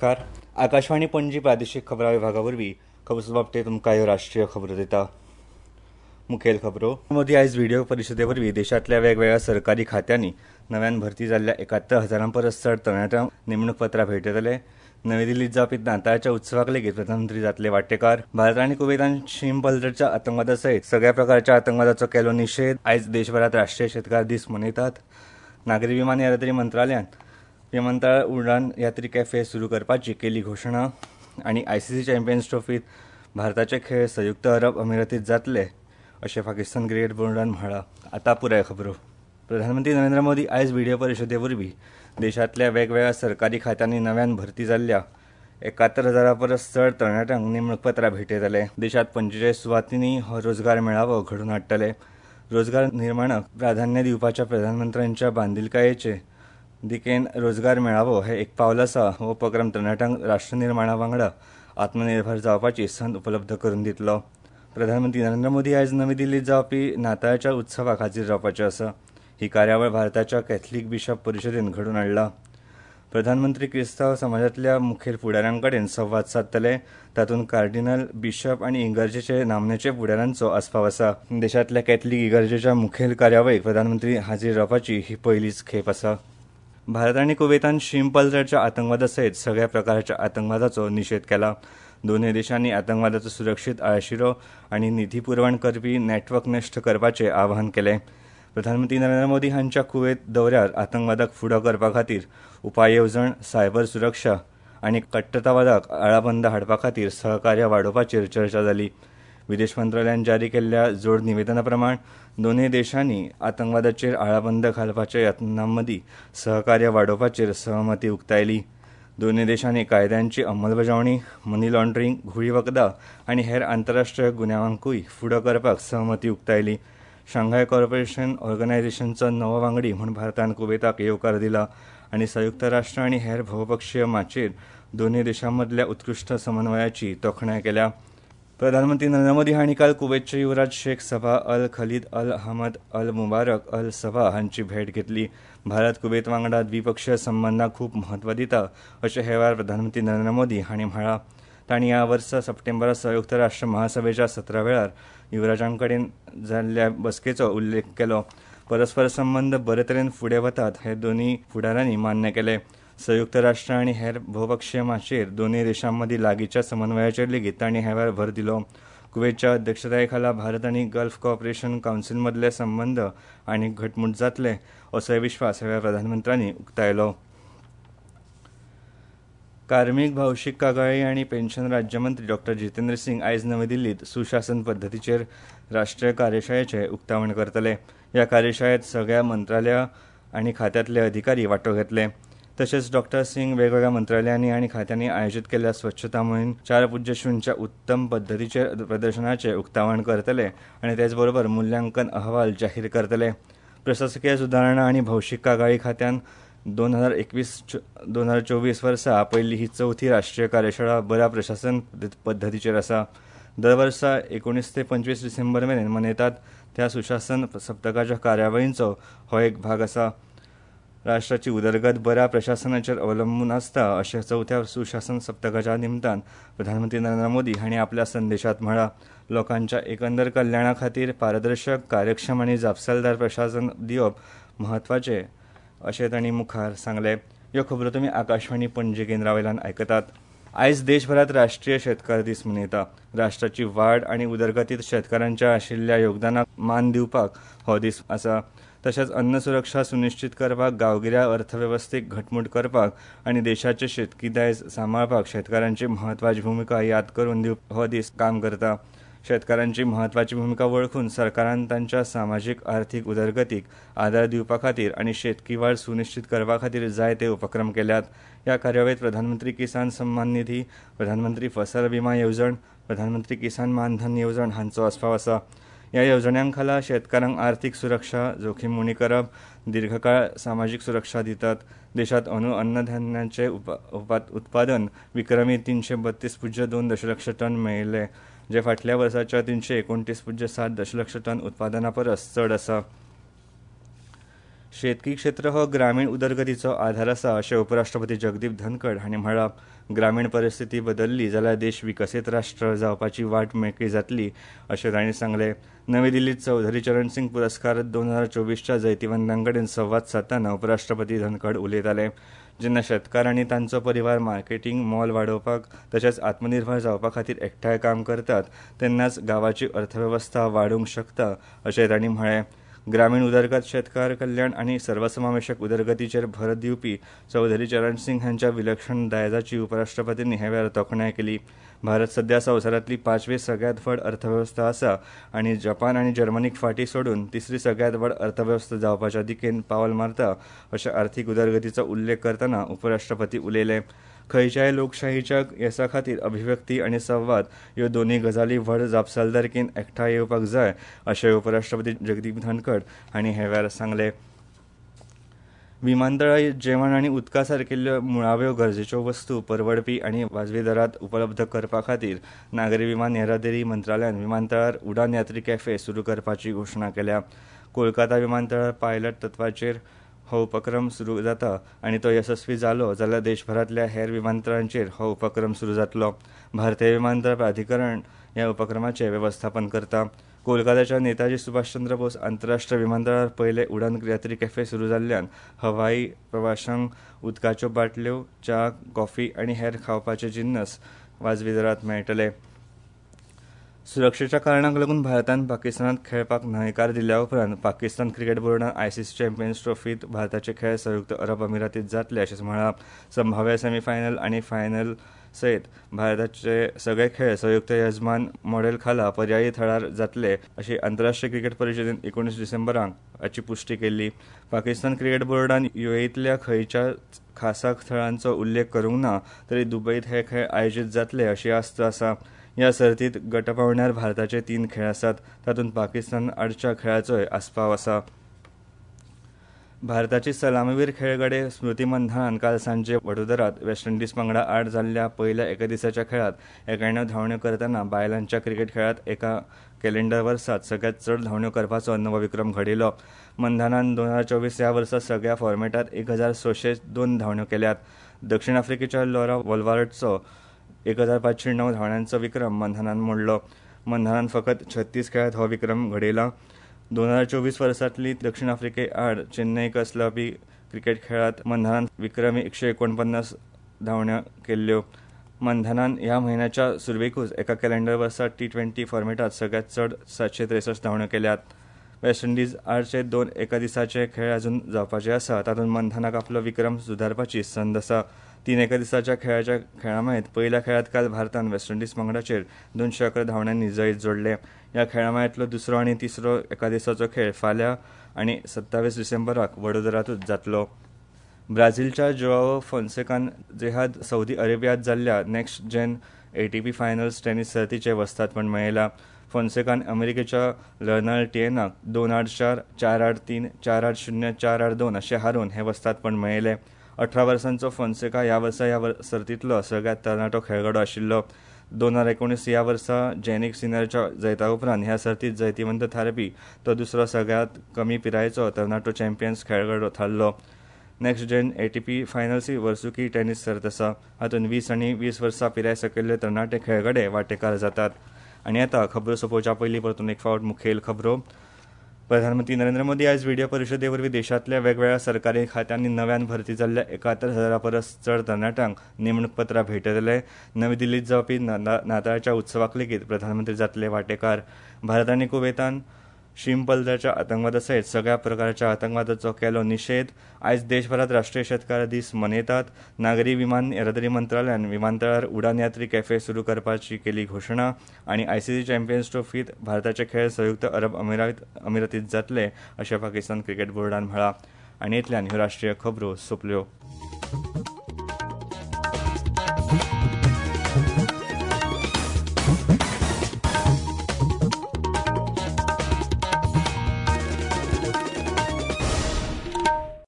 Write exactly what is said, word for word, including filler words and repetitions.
नमस्कार. आकाशवाणी पणजी प्रादेशीक खबरां विभागा वरवीं खबर बाबतींत तुमकां ह्यो राष्ट्रीय खबरो दिता. मुखेल खबरो. मोदी आयज व्हिडियो परिशदे वरवीं देशांतल्या वेगवेगळ्या सरकारी खात्यांनी नव्यान भरती जाल्ल्या एकात्तर हजारां परस चड तरणाट्यांक नेमणूक पत्रां भेटयतले. नवी दिल्लीत जावपी नाताळच्या उत्सवाक लेगीत प्रधानमंत्री जातले वांटेकार. भारत आनी कुवेतान शीम पलतडच्या आतंकवादा सयत सगळ्या प्रकारच्या आतंकवादाचो केलो निशेध. आयज देशभरात राष्ट्रीय शेतकार दीस मनयतात. नागरी विमान येरादारी मंत्रालयान विमानतळ उडान यात्री कॅफे सुरू करपाची केली घोशणा. आनी आयसीसी चॅम्पियन्स ट्रॉफीत भारताचे खेळ संयुक्त अरब अमिरातीत जातले अशें पाकिस्तान क्रिकेट बोर्डान म्हळां. आतां पुराय खबरो. प्रधानमंत्री नरेंद्र मोदी आयज व्हिडियो परिशदे वरवीं देशांतल्या वेगवेगळ्या सरकारी खात्यांनी नव्यान भरती जाल्ल्या एकात्तर हजारां परस चड तरणाट्यांक नेमणूक पत्रां भेटयतले. देशांत पंचेचाळीस सुवातींनी हो रोजगार मेळावो घडोवन हाडटले. रोजगार निर्माणाक प्राधान्य दिवपाच्या प्रधानमंत्र्यांच्या बांदिलकायेचे दिकेन रोजगार मेळावो हे एक पावल आसा. हो उपक्रम तरणाट्यांक राष्ट्रनिर्माणा वांगडा आत्मनिर्भर जावपाची संद उपलब्ध करून दितलो. प्रधानमंत्री नरेंद्र मोदी आयज नवी दिल्लीत जावपी नाताळच्या उत्सवाक हाजीर रावपाचे आसा. ही कार्यावळ भारताच्या कॅथलीक बिशप परिशदेन घडोवन हाडला. प्रधानमंत्री क्रिस्तांव समाजांतल्या मुखेल फुडाऱ्यां कडेन संवाद सादतले. तातूंत कार्डिनल, बिशप आनी इगर्जेचे नामनेचे फुडाऱ्यांचो आस्पाव आसा. देशांतल्या कॅथलीक इगर्जेच्या मुखेल कार्यावळीक प्रधानमंत्री हाजीर रावपाची ही पयलीच खेप आसा. भारत आनी कुवेतान शीम पलतडच्या आतंकवादा सयत सगळ्या प्रकारच्या आतंकवादाचो निशेध केला. दोनूय देशांनी आतंकवादाचो सुरक्षीत आळशिरो आनी निधी पुरवण करपी नेटवर्क नश्ट करपाचें आवाहन केलें. प्रधानमंत्री नरेंद्र मोदी हांच्या कुवेत दौऱ्यार आतंकवादाक फुडो करपा खातीर उपाय येवजण, सायबर सुरक्षा आनी कट्टरतावादाक आळाबंद हाडपा खातीर सहकार्य वाडोवपाचेर चर्चा जाली. विदेश मंत्रालयान जारी केल्ल्या जोड निवेदना प्रमाण दोनूय देशांनी आतंकवादाचेर आळाबंद घालपाच्या यत्नां मदीं सहकार्य वाडोवपाचेर सहमती उक्तायली. दोनूय देशांनी कायद्यांची अंमलबजावणी, मनी लॉन्ड्रींग, घुंवळी वखदां आनी हेर आंतरराष्ट्रीय गुन्यांवांकूय फुडो करपाक सहमती उक्तायली. शांघाय कॉर्पोरेशन ऑर्गनायझेशनचो नवो वांगडी म्हूण भारतान कुवेताक येवकार दिला आनी संयुक्त राष्ट्र आनी हेर भोवपक्षीय माचयेर दोनूय देशां मदल्या उत्कृश्ट समन्वयाची तोखणाय केल्या. प्रधानमंत्री नरेंद्र मोदी हांणी काल कुवेतचे युवराज Sheikh Sabah Al Khalid Al Ahmad Al Mubarak Al Sabah हांची भेट घेतली. भारत कुवेत वांगडा द्विपक्षीय संबंदांक खूब म्हत्व दिता अशें हे वेळार प्रधानमंत्री नरेंद्र मोदी हांणी म्हळां. तांणी ह्या वर्सा सप्टेंबरात संयुक्त राष्ट्र महासभेच्या सत्रा वेळार युवराजां कडेन जाल्ल्या बसकेचो उल्लेख केलो. परस्पर संबंद बरे तरेन फुडें वतात हे दोनूय फुडाऱ्यांनी मान्य केले. संयुक्त राष्ट्र आनी हेर भोवपक्षीय माचयेर दोनूय देशां मदीं लागींच्या समन्वयाचेर लेगीत तांणी ह्या वेळार भर दिलो. कुवेतच्या अध्यक्षताये खाला भारत आनी गल्फ कॉपरेशन कावन्सील मदले संबंद आनीक घटमूट जातले असोय विश्वास ह्या वेळार प्रधानमंत्र्यांनी उक्तायलो. कार्मीक, भौशीक कागाळी आनी पेन्शन राज्यमंत्री डॉक्टर जितेंद्र सिंग आयज नवी दिल्लीत सुशासन पद्दतीचेर राष्ट्रीय कार्यशाळेचें उक्तावण करतले. ह्या कार्यशाळेत सगळ्या मंत्रालया आनी खात्यांतले अधिकारी वांटो घेतले. तशेंच डॉक्टर सिंग वेगवेगळ्या मंत्रालयांनी आनी खात्यांनी आयोजीत केल्ल्या स्वच्छता मोहीम चार पूज्य शून्यच्या उत्तम पद्दतीचेर प्रदर्शनाचें उक्तावण करतले आनी तेचबरोबर मुल्यांकन अहवाल जाहीर करतले. प्रशासकीय सुदारणा आनी भौशीक कागाळी खात्यान दोन हजार एकवीस दोन हजार चोवीस वर्सा आपयल्ली ही चवथी राष्ट्रीय कार्यशाळा बऱ्या प्रशासन पद्दतीचेर आसा. दर वर्सा एकोणीस ते पंचवीस डिसेंबर मेरेन मनयतात त्या सुशासन सप्तकाच्या कार्यावळींचो हो एक भाग आसा. राष्ट्राची उदरगत बऱ्या प्रशासनाचेर अवलंबून आसता अशें चवथ्या सुशासन सप्तकाच्या निमतान प्रधानमंत्री नरेंद्र मोदी हांणी आपल्या संदेशात म्हळां. लोकांच्या एकंदर कल्याणा खातीर पारदर्शक, कार्यक्षम आनी जापसालदार प्रशासन दिवप म्हत्वाचें अशें तांणी मुखार सांगलें. ह्यो खबरो तुमी आकाशवाणी पणजी केंद्रा वयल्यान आयकतात. आयज देशभरात राष्ट्रीय शेतकार दीस मनयता. राष्ट्राची वाड आनी उदरगतीत शेतकारांच्या आशिल्ल्या योगदानाक मान दिवपाक हो दीस आसा. तशेंच अन्न सुरक्षा सुनिश्चित करपाक, गांवगिऱ्या अर्थवेवस्थेक घटमूट करपाक आनी देशाचे शेतकी दायज सांबाळपाक शेतकारांची म्हत्वाची भुमिका याद करून दिवप हो दीस काम करता. शेतकारांची म्हत्वाची भुमिका वळखून सरकारान तांच्या सामाजीक आर्थीक उदरगतीक आदार दिवपा खातीर आनी शेतकी वाड सुनिश्चित करपा खातीर जायते उपक्रम केल्यात. ह्या कार्यावळीत प्रधानमंत्री किसान सम्मान निधी, प्रधानमंत्री फसल विमा येवजण, प्रधानमंत्री किसान मानधन येवजण हांचो आस्पाव आसा. ह्या येवजण्यां खाला शेतकारांक आर्थीक सुरक्षा, जोखीम उणी करप, दीर्घकाळ सामाजीक सुरक्षा दितात. देशात अणू अन्नधान्याचे उत्पादन विक्रमी तीनशे बत्तीस पूज्य दोन दशलक्ष टन मेळिल्लें, जे फाटल्या वर्साच्या तीनशे एकोणतीस पूज्य सात दशलक्ष टन उत्पादना परस चड आसा. शेतकी क्षेत्र हो ग्रामीण उदरगतीचो आधार आसा अशें उपराष्ट्रपती जगदीप धनखड हांणी म्हळां. ग्रामीण परिस्थिती बदल्ली जाल्यार देश विकसीत राष्ट्र जावपाची वाट मेकळी जातली अशें तांणी सांगलें. नवी दिल्लीत चौधरी चरण सिंग पुरस्कार दोन हजार चोवीसच्या जैतिवंतां कडेन संवाद सादतना उपराष्ट्रपती धनखड उलयताले. जेन्ना शेतकार आनी तांचो परिवार मार्केटींग मोल वाडोवपाक तशेंच आत्मनिर्भर जावपा खातीर एकठांय काम करतात तेन्नाच गांवाची अर्थवेवस्था वाडूंक शकता अशें तांणी म्हळें. ग्रामीण उदरगत, शेतकार कल्याण आनी सर्वसमावेशक उदरगतीचेर भर दिवपी चौधरी चरण सिंग हांच्या विलक्षण दायजाची उपराष्ट्रपतींनी हे वेळार तोखणाय केली. भारत सध्या संवसारांतली पांचवी सगळ्यांत व्हड अर्थवेवस्था आसा आनी जपान आनी जर्मनीक फाटीं सोडून तिसरी सगळ्यांत व्हड अर्थवेवस्था जावपाच्या दिकेन पावल मारता अशें आर्थीक उदरगतीचो उल्लेख करतना उपराष्ट्रपती उलयले. खंयच्याय लोकशाहीच्या येसा खातीर अभिव्यक्ती आनी संवाद ह्यो दोनूय गजाली व्हड जापसालदारकेन एकठांय येवपाक जाय अशें उपराष्ट्रपती जगदीप धनखड हांणी हे वेळार सांगलें. विमानतळां जेवण आनी उदका सारकिल्ल्यो मुळाव्यो गरजेच्यो वस्तू परवडपी आनी वाजवी दरांत उपलब्ध करपा खातीर नागरी विमान येरादारी मंत्रालयान विमानतळार उडान यात्री कॅफे सुरू करपाची घोशणा केल्या. कोलकाता विमानतळार पायलट तत्वाचेर हो उपक्रम सुरू जाता आनी तो येसस्वी जालो जाल्यार देशभरांतल्या हेर विमानतळांचेर हो उपक्रम सुरू जातलो. भारतीय विमानतळ प्राधिकरण ह्या उपक्रमाचें वेवस्थापन करता. कोलकाताच्या नेताजी सुभाषचंद्र बोस आंतरराष्ट्रीय विमानतळार पयले उडान यात्री कॅफे सुरू जाल्ल्यान हवाई प्रवाशांक उदकाच्यो बाटल्यो, च्या, कॉफी आनी हेर खावपाचे जिन्नस वाजवी दरांत मेळटले. सुरक्षेच्या कारणांक लागून भारतान पाकिस्तानात खेळपाक न्हयकार दिल्या उपरांत पाकिस्तान क्रिकेट बोर्डान आयसीसी चॅम्पियन्स ट्रॉफीत भारताचे खेळ संयुक्त अरब अमिरातीत जातले अशें म्हळां. संभाव्य सेमीफायनल आनी फायनल सयत भारताचे सगळे खेळ संयुक्त यजमान मॉडेल खाला पर्यायी थळार जातले अशी आंतरराष्ट्रीय क्रिकेट परिशदेन एकोणीस डिसेंबराक हाची पुष्टी केल्ली. पाकिस्तान क्रिकेट बोर्डान युएईतल्या खंयच्या खासा थळांचो उल्लेख करूंक ना तरी दुबईत हे खेळ आयोजीत जातले अशी आस्त आसा. ह्या सर्तीत गट पावंड्यार भारताचे तीन खेळ आसात, तातूंत पाकिस्तान आडच्या खेळाचोय आस्पाव आसा. भारताची सलामीवीर खेळगडे स्मृती मंधानान काल सांजे वडोदरात वेस्ट इंडिज पंगडा आड जाल्ल्या पयल्या एका दिसाच्या खेळात एक्याण्णव धांवड्यो करतना बायलांच्या क्रिकेट खेळात एका कॅलेंडर वर्सात सगळ्यात चड धांवड्यो करपाचो नवो विक्रम घडयलो. मंधानान दोन हजार चोवीस ह्या वर्सा सगळ्या फॉर्मेटात एक हजार सशे दोन धांवड्यो केल्यात. दक्षिण आफ्रिकेच्या लॉरा वॉल्वार्टचो एक हजार पांचशे णव धांवड्यांचो विक्रम मंधानान मोडलो. मंधानान फकत छत्तीस खेळात हो विक्रम घडयला. दोन हजार चोवीस वर्सांतली दक्षिण आफ्रिके आड चेन्नय कसलापी क्रिकेट खेळात मंधानान विक्रमी एकशे एकोणपन्नास धांवड्यो केल्ल्यो. मंधानान ह्या म्हयन्याच्या सुरवेकूच एका कॅलेंडर वर्सा टी ट्वेंटी फॉर्मेटात सगळ्यात चड सातशे त्रेसश्ट धांवड्यो केल्यात. वेस्ट इंडिज आडचे दोन एका दिसाचे खेळ अजून जावपाचे आसा, तातूंत मंधानाक आपलो विक्रम सुदारपाची संद आसा. तीन एका दिसाच्या खेळाच्या खेळामाळेंत पयल्या खेळांत काल भारतान वेस्ट इंडिज पंगडाचेर दोनशे अकरा धांवड्यांनी जैत जोडलें. ह्या खेळामाळेंतलो दुसरो आनी तिसरो एका दिसाचो खेळ फाल्यां आनी सत्तावीस डिसेंबराक वडोदरांतूच जातलो. ब्राझीलच्या जोआओ फोन्सेकान जेहाद सौदी अरेबियांत जाल्ल्या next gen ATP finals tennis सर्तीचें वस्तादपण मेळयलां. फोन्सेकान अमेरिकेच्या लर्नल टिएनाक दोन आठ चार, चार आठ तीन, चार आठ शून्य, चार आठ दोन अशें हारोवन हें वस्तादपण मेळयलें. अठरा वर्सांचो फोन्सेका ह्या वर्सा ह्या सर्तींतलो सगळ्यांत तरणाटो खेळगडो आशिल्लो. दोन हजार एकोणीस ह्या वर्सा जॅनिक सिनरच्या जैता उपरांत ह्या सर्तीत जैतिवंत थारपी तो दुसरो सगळ्यांत कमी पिरायेचो तरणाटो चॅम्पियन्स खेळगडो थारलो. नेक्स्ट जेन एटीपी फायनल्स ही वर्सुकी टेनिस सर्त आसा. हातूंत वीस आनी वीस वर्सां पिराय सकयल्ले तरणाटे खेळगडे वांटेकार जातात. आनी आतां खबरो सोंपोवच्या पयलीं परतून एक फावट मुखेल खबरो. प्रधानमंत्री नरेंद्र मोदी आयज व्हिडियो परिशदे वरवीं देशांतल्या वेगवेगळ्या सरकारी खात्यांनी नव्यान भरती जाल्ल्या एकाहत्तर हजारा परस चड तरणाट्यांक नेमणूक पत्रां भेटयतले. नवी दिल्लीत जावपी नाताळच्या उत्सवाक लेगीत प्रधानमंत्री जातले वांटेकार. भारत आनी कुवेतान शीम पलतडच्या आतंकवादा सयत सगळ्या प्रकारच्या आतंकवादाचो केलो निशेध. आयज देशभरात राष्ट्रीय शेतकार दीस मनयतात. नागरी विमान येरादारी मंत्रालयान विमानतळार उडान यात्री कॅफे सुरू करपाची केली घोशणा. आनी आयसीसी चॅम्पियन्स ट्रॉफीत भारताचे खेळ संयुक्त अरब अमिरात अमिरातीत जातले अशें पाकिस्तान क्रिकेट बोर्डान म्हळां. आनी इतल्यान ह्यो राष्ट्रीय खबरो सोंपल्यो.